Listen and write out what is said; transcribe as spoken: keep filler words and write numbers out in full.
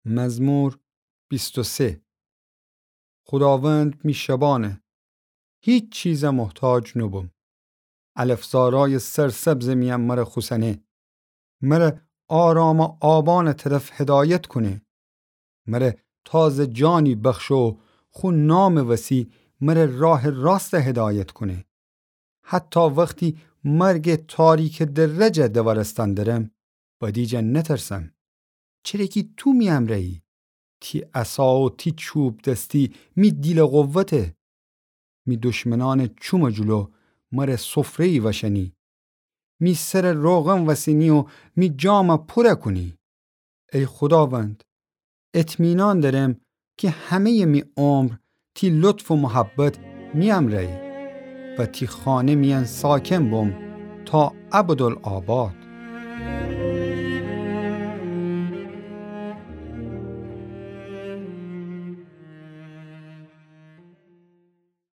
مزمور بیست و سه. خوداوند می شبانه، هیچ چیزٚ محتاج نوبوم. علفزارأیٚ سرسبزٚ میأن مر خوسنه. مر آرامٚ آبانٚ طرف هدایت کونه. مر تازه جانی بخشه و خو نامٚ وسی مر راهٚ راست هدایت کونه. حتی وختی مرگٚ تاریکٚ درٚ جا دوارستأن درم، بدی جا نترسم، چره کی تو می امرأیی. تی عصا و تی چوب‌دستی می دیلٚ قوته. می دشمنأنٚ چومٚ جلو مر سفره‌یی وأشنی. می سرٚ روغن وسینی و می جام پور کونی. ای خوداوند، اطمینان درم کی همه‌یٚ می عمر تی لطف و محبت می امرأیی و تی خانه میأن ساکن بوم تا ابدالآباد.